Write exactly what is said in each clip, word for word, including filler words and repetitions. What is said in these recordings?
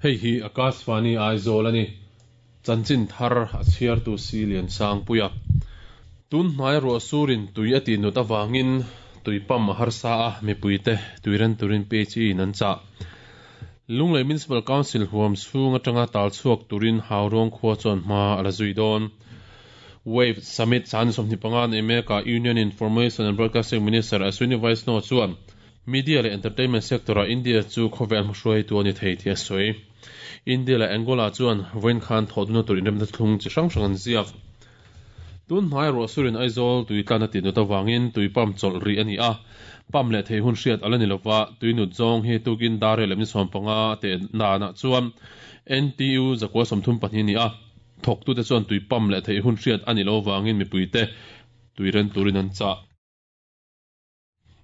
Hei hi Akashvani Aizawl ani. Chanchin thar a chhiartu si lian sang puia. Tun hnai ro surin tui ati nut awangin tui pam a harsa a mipuite tuiren turin P H E in an cha. Lunglei Municipal Council huam chhung atanga tal chhuak turin Haurong khua chuan hma ala zui dawn. Wave Summit chan sawmhnih panga nei meka Union Information and Broadcasting Minister Ashwini Vaishnaw chuan media leh entertainment sector a India chu khawvel hmahruai tu ani thei tih a sawi. India leh Angola chuan vawiin khan thawhduna tur inremna thlung chi hrang hrang an ziak. Tun hnai ro surin Aizawl tui tlan ati nut awangin tui pump chawlh ri ani a. Pump leh thei hun hriat ala ni lova, tui nut zawng hi tukin dar leh mi sawm panga te na na chuan N T U zakua sawmthum pahnih ni a. Thawk tu te chuan tui pump leh thei hun hriat ani lo wangin mipuite tuiren turin an cha.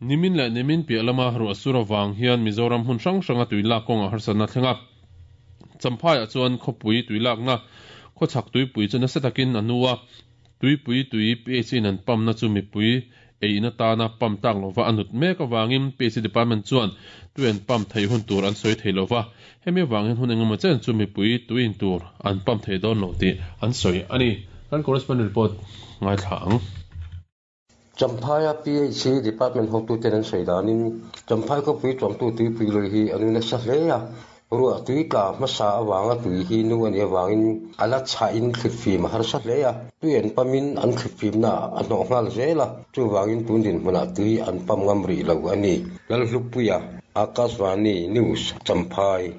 Nimin leh nimin piah lama ru asura wang hian Mizoram hun hrang hranga tuilak kawnga harsatna thlenga. Champhai chuan khawpui tuilak na khawchhak tuipui chu nasa takin anuwa tuipui tui P H in an pump na chu mipui eina tana pump tak lova anut mek awangin P H department chuan tui an pump thei hun tur an sawi thei lova, hemi wangin hun engemaw chen chu mipui tuin tur an pump thei dawn lo tih an sawi ani. Kan correspondent report ngai thla ang. Champhaya P H department hotu ten an sawi danin Champhai khawpui tuamtu tuipui lui hi anu nasa hle a, ruah tui tla hmasa awanga tui hi nu ani awangin ala chha in thlifim a harsa hle a, tui an pamin an thlifim na a hnawh nghal zel a, chuwangin tun din hmunah tui an pam ngam ri lo ani. Lalhlupuia, Akashvani News, Champhai.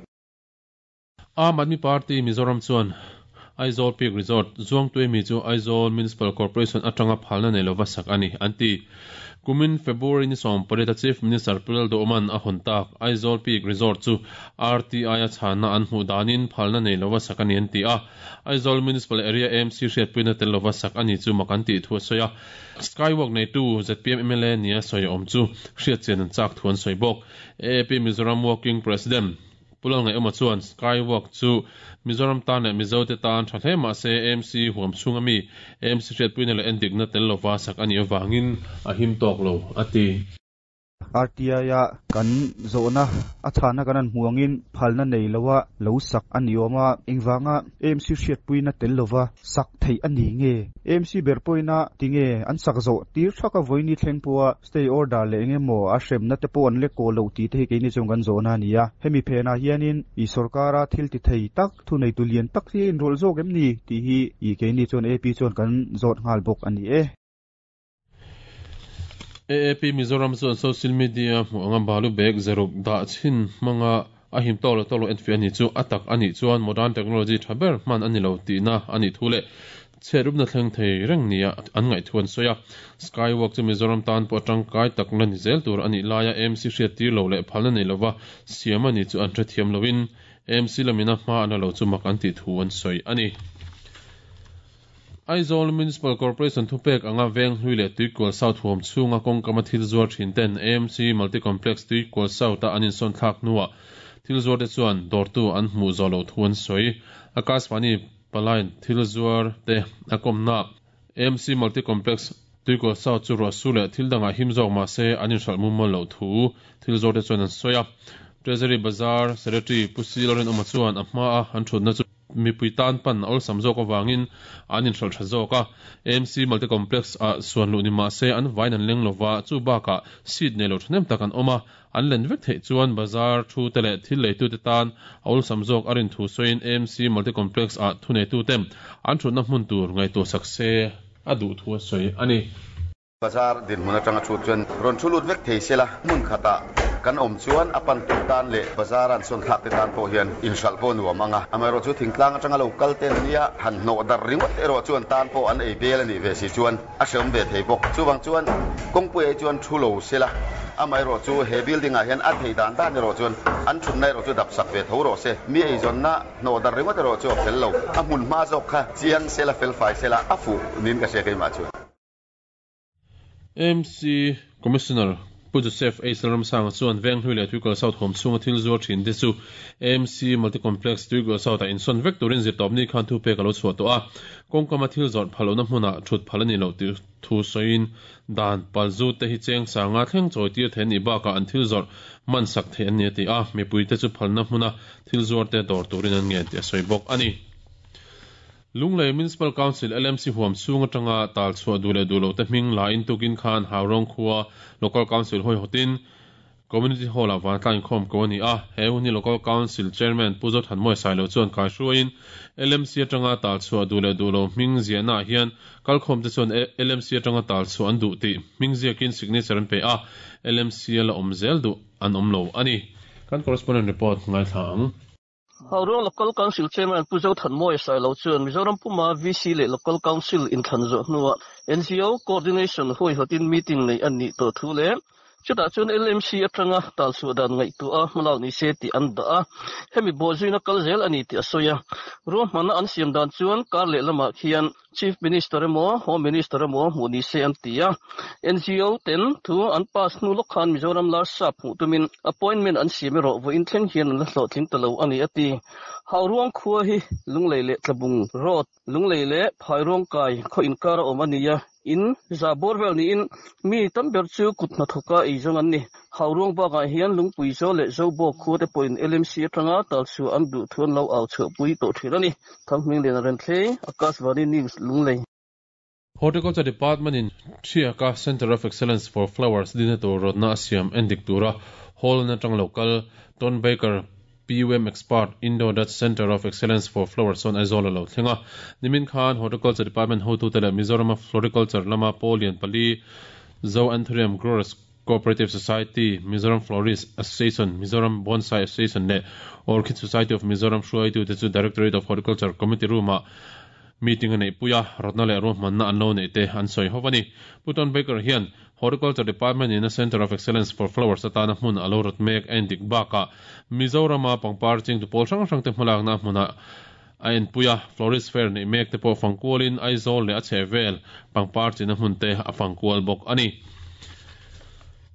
Aam Aadmi Party Mizoram chuan Aizawl Peak Resort Zuangtui mi chu Aizawl Municipal Corporation atanga phalna nei lova sak ani anti. Kumin February ni sawm pariat Chief Minister Pu Lalduhoma'n a hawn tak Aizawl Peak Resort chu R T I a chhana an hmuh danin phalna nei lova sak ani an ti a. Aizawl Municipal Area A M C hriatpuina tel lova sak ani chu mak an tih thu a sawi a. Skywalk nei tu Z P M M L A nia sawi awm chu hriat chian an chak thu an sawi bawk. A A P Mizoram Working President Pu Lalngaihawma chuan Skywalk chu Mizoram tan leh Mizo te tan tha hle mah se A M C huam chhung ami A M C hriatpuina leh endikna tel lova sak ani awangin a him tawk lo a ti. R T I a kan zawhna a chhana kan an hmuangin phalna nei lowa lo sak ani awma, engwanga A M C hriatpuina tel lova sak thei ani nge? A M C ber poina tinge an sak zo tir thaka voini thleng puwa stay order le engemaw a hremna te pawh an le ko lo ti te hi keini chung kan zawhna ani a. Hemi phena hianin i sarkara thil ti thei tak thu nei tu lian tak hi in rol zawk em ni ti hi i keini chuan A A P chuan kan zawt nghal bawk ani e. A A P Mizoram chuan social media hmu anga balu bag zaruk dah chin hmanga a him tawk lo tawk lo enfiah ani chu atak ani chuan modern technology thaber hman ani lo tihna ani thu leh chherupna thleng thei reng nia an ngaih thu an sawi a. Skywalk chu Mizoram tan pawh tangkai tak la ni zel tur ani laia A M C hriat tir lo leh phalna nei lova siam ani chu an hrethiam loin A M C lamina hma an lo chu mak an tih thu an sawi ani. Aizawl Municipal Corporation thupek anga veng hlui leh Tuikual South huam chhunga kawngkama thil zuar thin ten A M C Multi-Complex Tuikual South a an insawn thlak hnuah thil zuar te chuan dawrtu an hmuh zawh loh thu an sawi. Akashvani palain thil zuar te a kawmna A M C Multi-Complex Tuikual South chu ruah su leh thil dangah him zawk mah se an inhralh mumal loh thu thil zuar te chuan an sawi a. Treasury Bazar Secretary Pu Si Lalrinawma chuan a hma a an thutna chu mipui tan pan awlsam zawk awangin an inhralh tha zawk a. A M C Multi-Complex a suan luh ni mah se an vain an leng lova, chu bakah seat nei lo thahnem tak an awm a, an len vek theih chuan bazar thu te leh thil leitu te tan awlsam zawk a rin thu sawiin A M C Multi-Complex a thu nei tu te an thutna hmun tur ngaihtuah sak se a duh thu a sawi ani. Bazar din hmun atanga thu chuan rawn thu lut vek thei sela, hmun khata kan awm chuan a pan tu tan leh bazar an sawn thlak te tan pawh hian inhralh pawh nuam anga. Amaherawh chu thingtlang atanga lo kal ten nia han hnawh dar ringawt erawh chuan tan pawh an ei bel ani ve si chuan a hreawm ve thei bawk. Chuwang chuan kawngpui ai chuan thu lo sela, amaherawh chu he building ah hian a thei dan dan erawh chuan an thutna erawh chu dap sak ve tho rawh se. Mi ei zawnna hnawh dar ringawt erawh chu a fel lo, a hmun hma zawk kha chiang sela, fel fai sela a fu nin ka hria keimah chuan. A M C Commissioner Pu Joseph H Lalramsanga chuan Venghlui leh Tuikal South huam chhunga thil zuar thin te chu A M C Multi-Complex, Tuikal South ah insawn vek turin Zirtawpni khan thupek a lo chhuah tawh a. Kawngkama thil zawrh phal lohna hmunah thut phal a ni loh tih thu sawiin dan palzut te hi cheng sanga thleng chawi tir theih a nih bakah an thil zawrh man sak theih an ni a ti a. Mipuite chu phalna hmuna thil zuar te dawr turin an ngen tih a sawi bawk a ni. Lunglei Municipal Council, L M C, huam chhung atanga tal chhuah duh leh duh lote hming la in tukin khan Haurawng khua Local Council huaihawtin Community Hall-ah vantlang inkhawm ko a ni a. He hun hi Local Council Chairman Pu Zothanmawia Sailo chuan kaihruaiin L M C atanga tal chhuah duh leh duh lo hming ziahnaah hian kalkhawmte chuan L M C atanga tal chhuah an duh tih hming ziakin signature an pe a, L M C a la awm zel duh an awm lo a ni. Kan correspondent report ngaithla ang. Haurawng Local Council Chairman Pu Zothanmawia Sailo chuan Mizoram puma V C leh Local Council inthlan zawh hnuah N G O Coordination huaihawtin meeting nei an nih tawh thu leh chutah chuan L M C atanga tal chhuah dan ngaihtuah a hmalak ni se tih an dah a, hemi bawhzuina kal zel a ni tih a sawi a. Ruahmanna an siam dan chuan kar leh lamah khian Chief Minister emaw Home Minister emaw hmuh ni se an ti a. N G O ten thu an pass hnu lawk khan Mizoram Larsap hmuh tumin appointment an siam erawh vawiin thleng hian an la hlawhtling ta lo a ni a ti. Hauruang khua hi Lunglei leh Tlabung Road, Lunglei leh Phairuang kai khaw inkar a awm a ni a. In za bawr vel niin mi tam ber chu kut hnathawka ei zawng an ni. Hauruang bakah hian Lungpui Zo leh Zobawk khua te pawhin L M C atanga tal chhuah an duh thu an lo au chhuahpui tawh thin a ni. Thanghming Lian Renthlei, Akashvani News, Lunglei. Horticulture Department in Thiaka Center of Excellence for Flowers dina tur rawtna a siam endik tura Holland atang local Ton Baker, P U M expert, Indo Dutch Center of Excellence for Flowers on Aizawl lo thlenga. Nimin khan Horticulture Department hotu te leh Mizoram Floriculture lama Polian pali, Zo Anthurium Growers Cooperative Society, Mizoram Florist Association, Mizoram Bonsai Association leh Orchid Society of Mizoram hruaitu te chu Directorate of Horticulture Committee Room ah meeting nei puia rawtna leh ruahmanna an lo nei te an sawi ho ani. Pu Ton Baker hian Horticulture Department in a Center of Excellence for Flowers atana hmun alo rawt mek endik baka Mizorama pangpar ching tu pawl hrang hrang te hmalak na hmuna a en puia. Florist Fair nei mek te pawh fangkualin Aizawl leh a chhehvel pangpar china hmun te a fangkual bawk ani.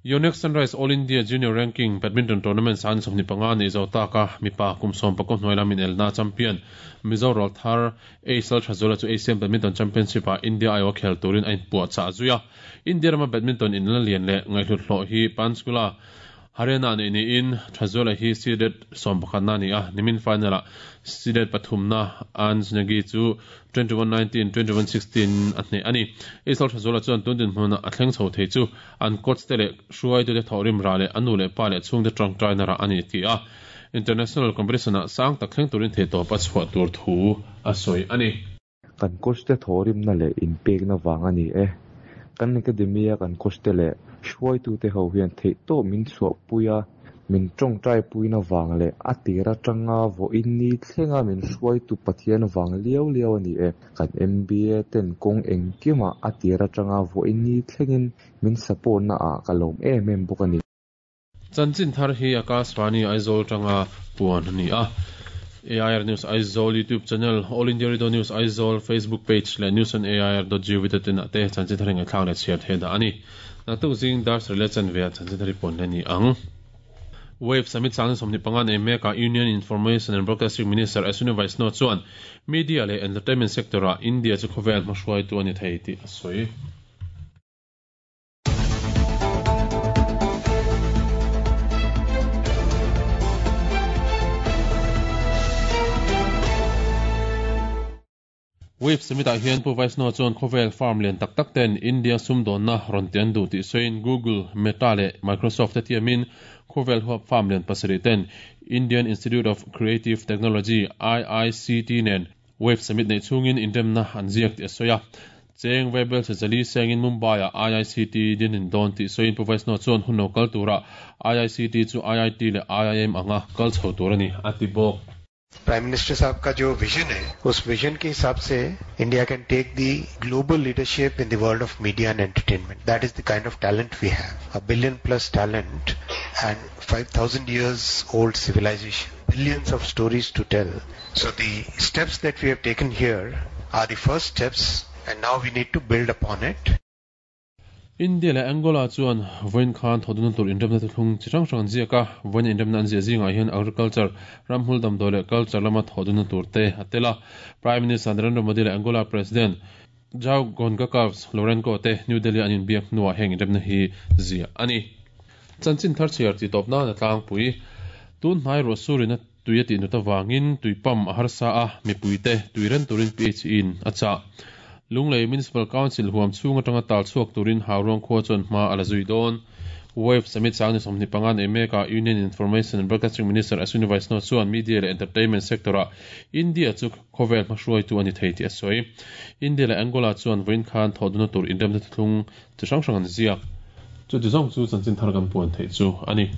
Yonex Sunrise All India Junior Ranking Badminton Tournament san sawmni panga nei zo taka mipa kum sawm pakua hnuai lamin elna champion Mizo rawlthar Aisal Thazola chu Asian Badminton Championship ah India aiawh khel turin a inpuah chah zuia. India rama badminton in la lian leh ngaihhlut hlawh hi Panchkula, Haryana nei niin Thazola hi seeded sawm pakhat na ni a. Nimin final ah seeded pathumna Anj Negi chu twenty-one nineteen, twenty-one sixteen a hneh ani. Aisal Thazola chuan tun din hmun a thleng chho thei chu an coach te leh hruaitu te thawhrim ra leh anu leh pa leh chhungte tawngtai na rah ani ti a. International competition ah sang tak thleng turin thei tawp a chhuah tur thu a sawi ani. Kan coach te thawhrim na leh inpekna wang ani e. Kan academy a kan coach te leh hruaitu te ho hian theih tawp min chhuah puia min tawngtai puina wang leh a tira tanga vawiin ni thlenga min hruaitu Pathian wang liau liau ani e. Kan M B A ten kawng engkimah a tira tanga vawiin ni thlengin min support na ah ka lawm em em bawk ani. Chanchin thar hi Akashvani Aizawl tanga puan ani a. A I R News Aizawl YouTube channel, All India Radio News Aizawl Facebook page leh news on A I R dot gov tin te chanchin thar ngai thlak leh chhiar the da ani. Naktuk zing dar sarih leh chanve chanchin thar pon le ni ang. Wave Summit sang somni panga nei meka Union Information and Broadcasting Minister Ashwini Vaishnaw chuan media leh entertainment sector a India chu khawvel hmahruai tu ani thei tih a sawi. Wave Summit ah hian Pu Vaishnaw chuan khawvel firm lian tak tak ten India sumdawnna rawn ti an duh tih sawiin Google, Meta leh Microsoft te tiamin khawvel huap firm lian pasarih ten Indian Institute of Creative Technology, I I C T nen Wave Summit nei chungin inremna an ziak tih a sawi a. Cheng vaibel chali sengin Mumbai a I I C T dinin dawn tih sawiin Pu Vaishnaw chuan hun lo kal tura I I C T chu I I T leh I I M anga kal chho tur ani a ti bawk. Prime minister साहब का जो vision है, उस vision के हिसाब से India can take the global leadership in the world of media and entertainment. That is the kind of talent we have, a billion plus talent and five thousand years old civilization, billions of stories to tell. So the steps that we have taken here are the first steps, and now we need to build upon it. India leh Angola chuan vawiin khan thawhdunna tur inremna thuthlung chi hrang hrang an ziak a, vawiin inremna an ziah zingah hian agriculture, ramhmul damdawi leh culture lama thawhdunna tur te a tel a. Prime Minister Narendra Modi leh Angola President João Goncalves Lourenço te New Delhi an inbiak hnuah heng inremna hi ziah a ni. Chanchin thar chhiar tih tawp nan a tlangpui. Tun hnai ruah surin a tui a tih nut avangin tui pump a harsa a, mipuite tui ren turin P H E in a chah. Lunglei Municipal Council huam chhung atanga tal chhuak turin Hauruang khua chuan hma a la zui dawn. Wave Summit sang ni sawmhnih panga nei mekah Union Information and Broadcasting Minister Ashwini Vaishnaw chuan media leh entertainment sector-ah India chu khawvel hmahruaitu a ni thei tih a sawi. India leh Angola chuan vawiin khan thawhdunna tur inremna thuthlung chi hrang hrang an ziak. Chuti zawng chu chanchin thar kan puan theih chu a ni.